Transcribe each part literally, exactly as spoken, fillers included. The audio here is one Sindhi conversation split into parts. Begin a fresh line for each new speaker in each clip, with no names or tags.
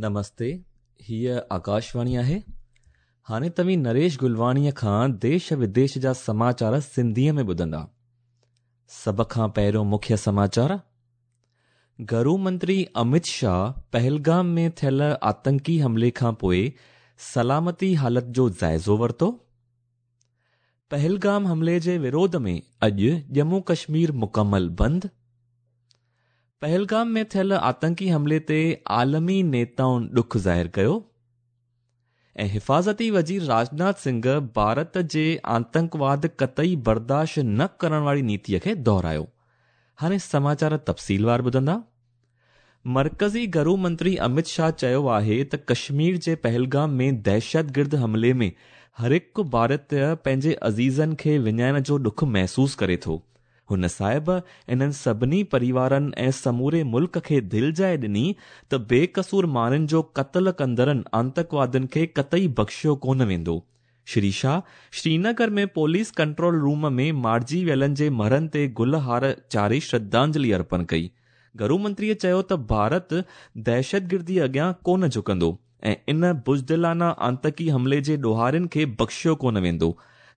نمستي، هيءَ آڪاشواڻي آهي. هاڻي توهين نريش گلواڻيءَ کان ديش وديش جا سماچار سنڌيءَ ۾ ٻڌندا. سڀ کان پهريون مکيه سماچار. گهرو منتري امت شاهه پهلگام ۾ ٿيل آتنڪي حملي کان پوءِ سلامتي حالت جو جائزو ورتو. پهلگام حملي جي وروڌ ۾ اڄ ڄمون ڪشمير مڪمل بند. پهلگام ۾ ٿيل آتنڪي حملي تي عالمي نيتائن ڏک ظاهر ڪيو. ۽ حفاظتي وزير راجناٿ سنگهه ڀارت جي آتنڪواد قطعي برداشت نه ڪرڻ واري نيتيءَ کي دهرايو. هاڻي سماچار تفصيلوار ٻڌندا. مرڪزي گهرو منتري امت شاهه چيو آهي ته ڪشمير جي پهلگام ۾ دهشتگرد حملي ۾ هر هڪ ڀارتيه پنهنجي عزيزن کي وڃائڻ جو ڏک محسوس ڪري ٿو. هن صاحب انهن سڀني پريوارن ۽ سموري ملڪ کي دلجاءِ ڏني ته بيقصور ماڻهن جو قتل ڪندڙن آتنڪوادين کي قطعي بخشيو ڪونه ويندو. Shri Shah Srinagar ۾ police control room ۾ مارجي ويلن جي مڙهن تي گل هار چاڙهي شرڌانجلي ارپڻ ڪئي. گهرو منتريءَ چيو ته ڀارت دهشتگردي اڳيان ڪونه جهڪندو ۽ ان بزدلانه آتنڪي حملي جي ڏوهارين کي بخشيو ڪونه ويندو.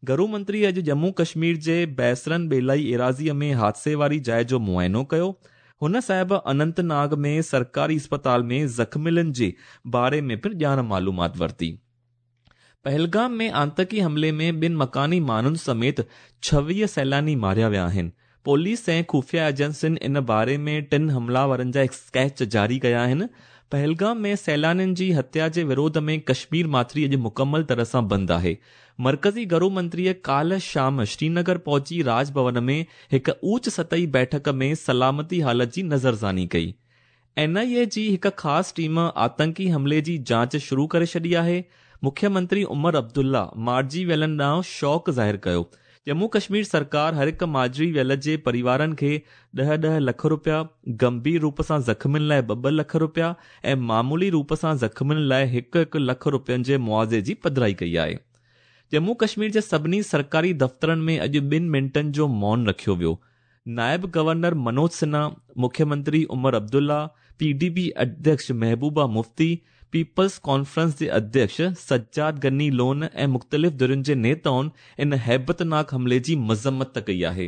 گهرو منتري اڄ ڄمون ڪشمير جي بيسرن ٻيلائي ايراضيءَ ۾ حادثي واري جاءِ جو معائنو ڪيو. هن صاحب اننت ناگ ۾ سرڪاري اسپتال ۾ زخمين جي باري ۾ پڻ ڄاڻ معلومات ورتي. پهلگام ۾ آتنڪي حملي ۾ ٻن مڪاني ماڻهن سميت ڇويهه سيلاني ماريا ويا آهن. پوليس ۽ خفيه ايجنسين ان باري ۾ ٽن حملاورن جا اسڪيچ جاري ڪيا آهن. پهلگام ۾ سيلانين جي هتيا جي وروڌ ۾ ڪشمير ماٿري اڄ مڪمل طرح سان بند آهي. مرڪزي گهرو منتريءَ ڪالهه شام شرينگر پهچي راج ڀون ۾ هڪ اوچ سطحي بيٺڪ ۾ سلامتي حالت جي نظرثاني ڪئي. اين آءِ اي جي هڪ خاص ٽيم آتنڪي حملي جي جاچ شروع ڪري ڇڏي آهي. مکيه منتري عمر عبدالله مارجي ويلن ڏانهن شوڪ ظاهر ڪيو. ڄمون ڪشمير سرڪار هر هڪ مارجي ويل جي پريوارن کي ڏهه ڏهه لک رپيا، گنڀير روپ سان زخمين لاءِ ٻه ٻه لک رپيا ۽ معمولي روپ سان زخمين لاءِ هڪ هڪ لک رپين جي معاوضي جي پڌرائي ڪئي آهي. ڄمون ڪشمير جي سڀني سرڪاري دفترن ۾ اڄ ٻن منٽن جو مون رکيو ويو. نائب گورنر منوج سنها، مکيه منتري Omar Abdullah, P D P اڌيڪش محبوبه مفتي، پيپلز ڪانفرنس جي اڌيڪش سجاد غني لون ۽ مختلف ڌرين جي نيتائن ان هيبتناڪ حملي جي مذمت ڪئي آهي.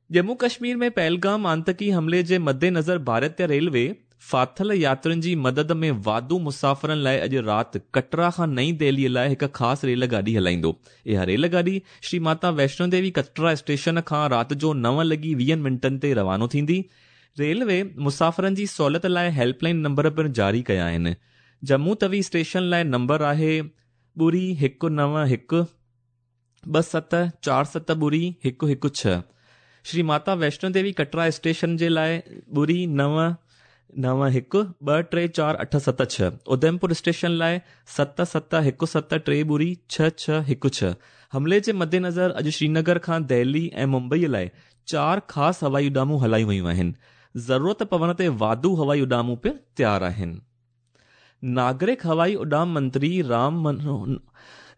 ڄمون ڪشمير ۾ پهلگام آتنڪي حملي جي مدنظر ڀارتيه ريلوي ڦاٿل ياترين جي مدد ۾ واڌو مسافرن لاءِ اڄ رات ڪٽرا کان نئين دهليءَ لاءِ هڪ خاص ريل گاڏي هلائيندو. اها ريل گاڏي شري ماتا ويشنو ديوي ڪٽرا اسٽيشن کان رات جو نو لڳي ويهن منٽن تي روانو ٿيندي. ريلوي مسافرن جي سهوليت لاءِ هيلپ لائن نمبر پڻ جاري ڪيا آهن. ڄمون توي اسٽيشن لاءِ نمبر آهي ٻڙي هڪ نو هڪ ٻه ست چار ست ٻڙي هڪ هڪ ڇهه. شري ماتا ويشنو ديوي ڪٽرا اسٽيشن جي لاءِ ٻڙي نو نو هڪ ٻه ٽي چار اٺ ست ڇهه. اڌمپور اسٽيشن لاءِ ست ست هڪ ست ٽي ٻڙي ڇهه ڇهه هڪ ڇهه. حملي جي مدنظر اڄ شرينگر کان دهلي ۽ ممبئيءَ لاءِ چار خاص هوائي اڏامون هلايون ويون آهن. ضرورت پوڻ تي واڌو هوائي اڏامون پڻ تيار آهن. ناگرڪ هوائي اڏام منتري رام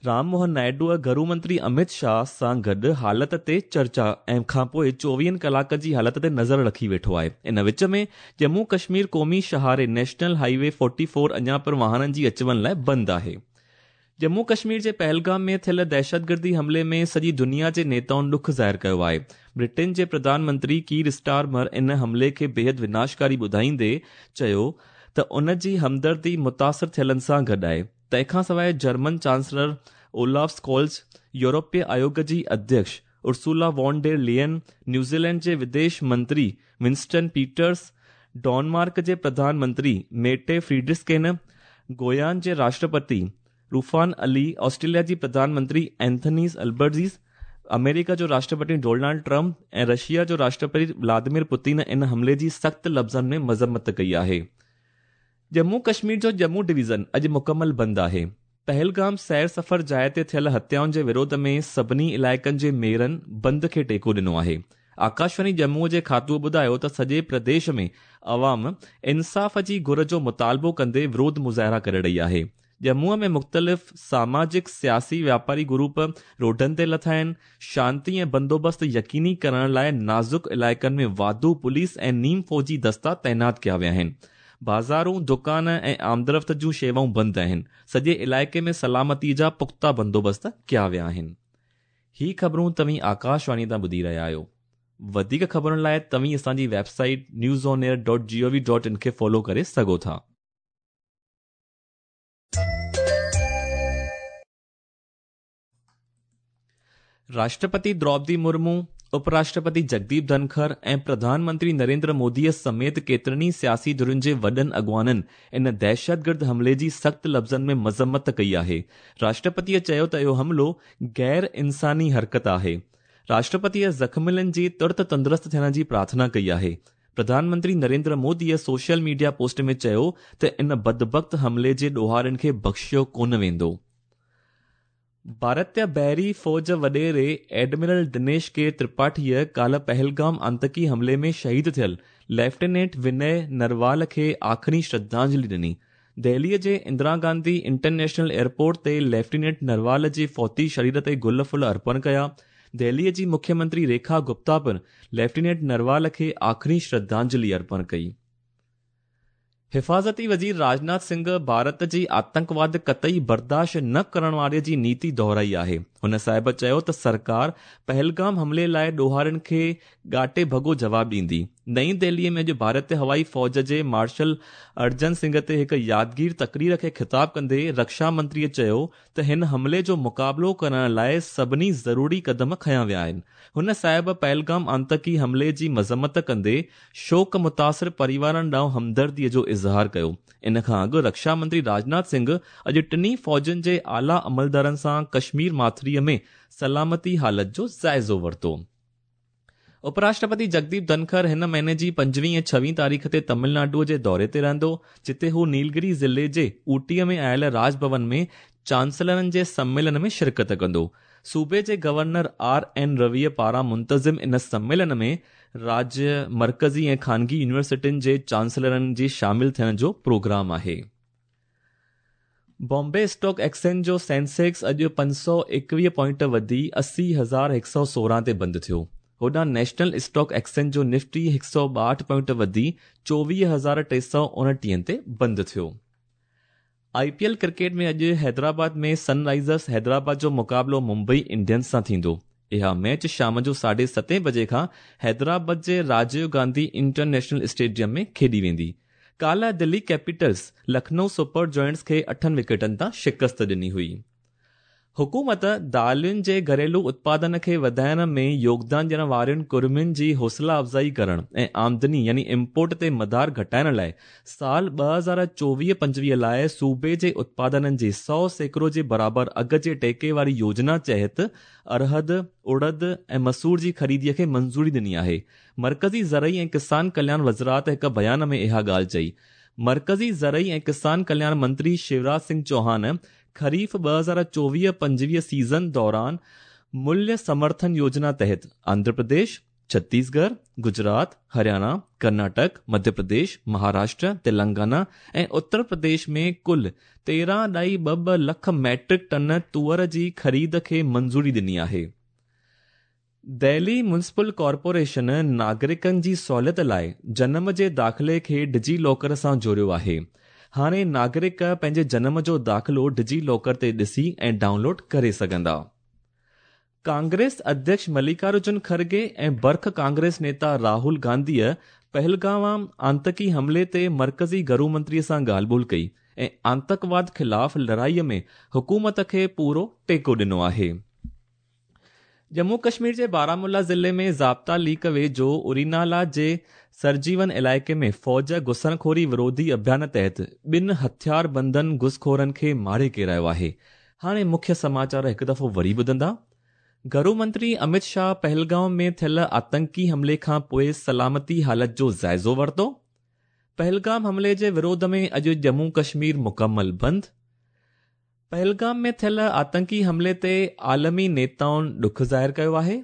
رام موهن نائيڊوءَ گهرو منتري امت شاهه سان گڏ حالت تي چرچا ۽ کان پوءِ چوويهن ڪلاڪ جي حالت تي نظر رکي ويٺو آهي. ان وچ ۾ ڄمون ڪشمير قومي شاهراهه national highway forty four اڃا پڻ واهنن جي اچ وڃ لاءِ بند آهي. ڄمون ڪشمير جي پهلگام ۾ ٿيل دهشتگردي حملي ۾ سڄي دنيا جي نيتائن ڏک ظاهر ڪيو آهي. برٽن جي پرڌان منتري ڪير اسٽارمر ان حملي کي بيحد وناشڪاري ٻڌائيندي چيو ته ان جي همدردي متاثر ٿيلن سان گڏ آهي. تنهن کان سواءِ جرمن چانسلر اولاف اسڪولز، يورپي آيوگ جي اڌيڪش ارسولا وان ڊير لين، نيوزيلينڊ جي وديش منتري ونسٽن پيٽرس، ڊينمارڪ جي پرڌان منتري ميٽي فريڊرسڪين، گويان جي راشٽرپتي روفان علي، آسٽريليا جي پرڌان منتري اينٿني البرزيز، آمريڪا جو راشٽرپتي ڊونالڊ ٽرمپ ۽ رشيا جو راشٽرپتي ولاديمير پوتين ان حملي جي سخت لفظن ۾ مذمت ڪئي آهي. ڄمون ڪشمير جو ڄمون ڊويزن اڄ مڪمل بند آهي. پهلگام سير سفر جاءِ تي ٿيل هتيائن جي وروڌ ۾ سڀني علائقن جي ميئرن بند کي ٽيڪو ڏنو آهي. آڪاشواڻي ڄمون جي کاتوءَ ٻڌايو ته سڄي پرديش ۾ عوام انصاف جي گهر جو مطالبو ڪندي وروڌ مظاهرا ڪري رهي آهي. ڄمون ۾ مختلف ساماجڪ، سياسي، واپاري گروپ روڊن تي لٿا آهن. شانتي ۽ بندوبست يقيني ڪرڻ لاءِ نازڪ علائقن ۾ واڌو پوليس ۽ نيم فوجي دستا تعينات ڪيا ويا آهن. بازارون، دڪان ۽ آمدرفت جون شيوائون بند آهن. سڄي علائقي ۾ سلامتي جا پختا بندوبست ڪيا ويا آهن. هي خبرون توهين آڪاشواڻي تان ٻڌي رهيا آهيو. وڌيڪ خبرن لاءِ توهين اسان جي website news on air dot G O V dot in کي فالو ڪري سگهو ٿا. راشٽرپتي درौپدي مرمو، اپراشٽرپتي جگديپ ڌنکر ۽ پرڌان منتري نريندر موديءَ سميت ڪيترن ئي سياسي ڌرين جي وڏن اڳواڻن ان دهشتگرد حملي جي سخت لفظن ۾ مذمت ڪئي آهي. راشٽرپتيءَ چيو ته اهو حملو غير انساني حرڪت آهي. راشٽرپتيءَ زخمين جي ترت تندرست ٿيڻ جي پرارٿنا ڪئي آهي. Pradhan Mantri Narendra موديءَ social media post ۾ چيو ته ان بدبخت حملي جي ڏوهارين کي بخشيو ڪونه ويندو. ڀارتيه بحري فوج وڏيري ايڊمرل دنيش ڪي ترپاٺيءَ ڪالهه پهلگام آتنڪي حملي ۾ شهيد ٿيل ليفٽيننٽ وني نروال کي آخري شرڌانجلي ڏني. دهليءَ جي اندرا گانڌي انٽرنيشنل ايئرپورٽ تي ليفٽيننٽ نروال جي فوتي شرير تي گل ڦل ارپڻ ڪيا. دهليءَ جي مکيه منتري ريکا گپتا پڻ ليفٽيننٽ نروال کي آخري شرڌانجلي ارپڻ ڪئي. حفاظتي وزير راجناٿ سنگهه ڀارت جي آتنڪواد قطعي برداشت نه ڪرڻ واري جي نيتي دهرائي آهي. هن صاحب چيو ته سرڪار پهلگام حملي لاءِ ڏوهارين کي ڳاٽي ڀڳو جواب ڏيندي. نئين دهليءَ ۾ اڄ ڀارتيه هوائي فوج جي مارشل ارجن سنگهه تي هڪ يادگير تقرير کي خطاب ڪندي رڪشا منتريءَ چيو ته هن حملي جو مقابلو ڪرڻ لاءِ سڀني ضروري قدم کنيا ويا آهن. هن صاحب پهلگام آتنڪي حملي جي مذمت ڪندي شوڪ متاثر پريوارن ڏانهن همدرديءَ جو اظهار ڪيو. ان کان اڳ رڪشا منتري راجناٿ سنگهه اڄ ٽنهي فوجن جي اعليٰ عملدارن سان ڪشمير ماٿريءَ ۾ سلامتي حالت جو جائزو ورتو. اپراشٽرپتي جگديپ ڌنکر هن مهيني جي پنجويهه ۽ ڇويهه تاريخ تي تامل ناڊوءَ جي دوري تي رهندو، جتي هو نيلگري ضلعي جي اوٽيءَ ۾ آيل راج ڀون ۾ چانسلرن جي سميلن ۾ شرڪت ڪندو. صوبي جي گورنر آر اين رويءَ پاران منتظم ان سميلن ۾ راجيه، مرڪزي ۽ خانگي يونيورسٽين جي چانسلرن جي شامل ٿيڻ جو پروگرام آهي. بامبي اسٽاڪ ايڪسچينج جو سينسيڪس اڄ پنج سؤ ايڪويهه پوائنٽ وڌي اسي هزار هڪ سؤ سورهن تي بند ٿيو. هوڏانهن نيشنل اسٽاڪ ايڪسچينج جو نفٽي هڪ سؤ ٻاهٺ پوائنٽ وڌي چوويهه هزار ٽي سؤ اڻٽيهن تي بند ٿيو. آئي پي ايل ڪرڪيٽ ۾ اڄ حيدرآباد ۾ سن رائزرس حيدرآباد جو مقابلو ممبئي انڊينز سان ٿيندو. اها ميچ شام جو ساڍي ستين بجي کان حيدرآباد جي راجيو گانڌي انٽرنيشنل اسٽيڊيم ۾ کيڏي ويندي. ڪالهه دلي ڪيپيٽلز لکنؤ سپر جائنٽس کي اٺن وڪيٽن تان شڪست ڏني هئي. حڪومت دالين جي گهريلو اتپادن کي وڌائڻ ۾ يوگدان ڏيڻ وارين ڪرمين جي حوصلا افزائي ڪرڻ ۽ آمدني يعني امپورٽ تي مدار گهٽائڻ لاءِ سال ٻه هزار چوويهه پنجويهه لاءِ صوبي جي اتپادنن جي سؤ سيڪڙو جي برابر اگهه جي ٽيڪي واري يوجنا تحت ارهد، اڙد ۽ مسور جي خريديءَ کي منظوري ڏني آهي. مرڪزي زرعي ۽ ڪسان ڪلياڻ وزارت هڪ بيان ۾ اها ڳالهه چئي. مرڪزي زرعي ۽ ڪسان ڪلياڻ منتري شيوراج سنگهه چوهان خريف ٻه هزار چوويهه پنجويهه سيزن دوران موليه سمرٿن يوجنا تحت آنڌرا پرديش، ڇتيسڳڙهه، گجرات، هرياڻا، ڪرناٽڪ، مڌيه پرديش، مهاراشٽر، تلنگانا ۽ اتر پرديش ۾ ڪل تيرهن ڏهائي ٻه ٻه لک ميٽرڪ ٽن تئر جي خريد کي منظوري ڏني آهي. دهلي ميونسپل ڪارپوريشن ناگرڪن جي سهوليت لاءِ جنم جي داخلي کي ڊجي لاڪر سان جوڙيو آهي. هاڻي ناگرڪ پنهنجي جنم جو داخلو ڊجي لاڪر تي ڏسي ۽ ڊائونلوڊ ڪري سگهندا. ڪانگريس اڌيڪش ملڪارجن کرگي ۽ برک ڪانگريس نيتا راهول گانڌيءَ پهلگام آتنڪي حملي تي مرڪزي گهرو منتريءَ سان ڳالهه ٻولهه ڪئي ۽ آتنڪواد خلاف لڙائيءَ ۾ حڪومت کي پورو ٽيڪو ڏنو آهي. ڄمون ڪشمير جي بارامولا ضلعي ۾ ضابطا ليڪ ويجهو ارينالا جي سرجيون علائقي ۾ فوج گهسڻخوري وروڌي اڀيان تحت ٻن هٿياربندن گهسخورن کي ماري ڪيرايو آهي. هاڻي مکيه سماچار هڪ دفعو وري ٻڌندا. گهرو منتري امت شاهه پهلگام ۾ ٿيل آتنڪي حملي کان پوءِ سلامتي حالت جو جائزو ورتو. پهلگام حملي جي وروڌ ۾ اڄ ڄمون ڪشمير مڪمل بند. پهلگام ۾ ٿيل آتنڪي حملي تي عالمي نيتائن ڏک ظاهر ڪيو آهي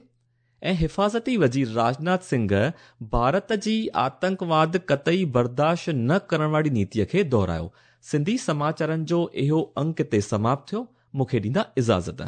۽ حفاظتي وزير راجناٿ سنگهه ڀارت جي آتنڪواد قطعي برداشت نه ڪرڻ واري نيتيءَ کي دهرايو. سنڌي سماچارن جو اهو انڪ هتي سماپت ٿيو. مون کي ڏيندا اجازت.